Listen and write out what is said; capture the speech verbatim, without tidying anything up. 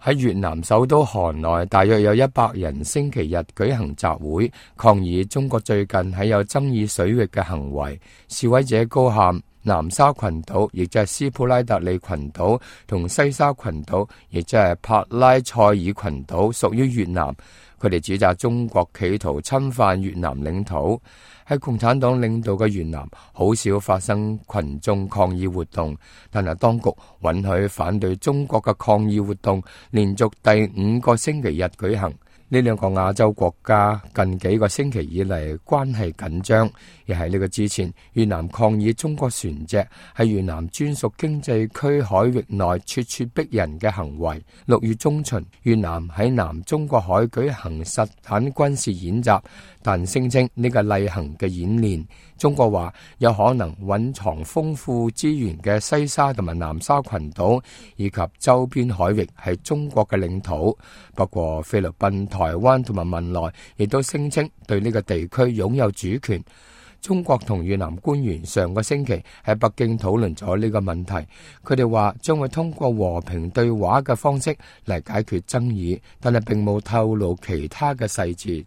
喺越南首都河內，大約有一百人星期日舉行集會，抗議中國最近喺有爭議水域嘅行為。示威者高喊南沙群島，亦即係斯普拉特里群島，同西沙群島，亦即係帕拉塞爾群島，屬於越南。佢哋指責中國企圖侵犯越南領土。喺共產黨領導嘅越南，好少發生群眾抗議活動，但係當局允許反對中國嘅抗議活動連續第五個星期日舉行。呢兩個亞洲國家近幾個星期以嚟關係緊張，而喺呢個之前，越南抗議中國船隻喺越南專屬經濟區海域內咄咄逼人嘅行為。六月中旬，越南喺南中國海舉行實彈軍事演習，但聲稱呢個例行嘅演練，中國話有可能蘊藏豐富資源嘅西沙同埋南沙群島以及周邊海域係中國嘅領土。不過菲律賓、台灣同埋文萊亦都聲稱對呢個地區擁有主權。中國同越南官員上個星期喺北京討論咗呢個問題，佢哋話將會通過和平對話嘅方式嚟解決爭議，但係並冇透露其他嘅細節。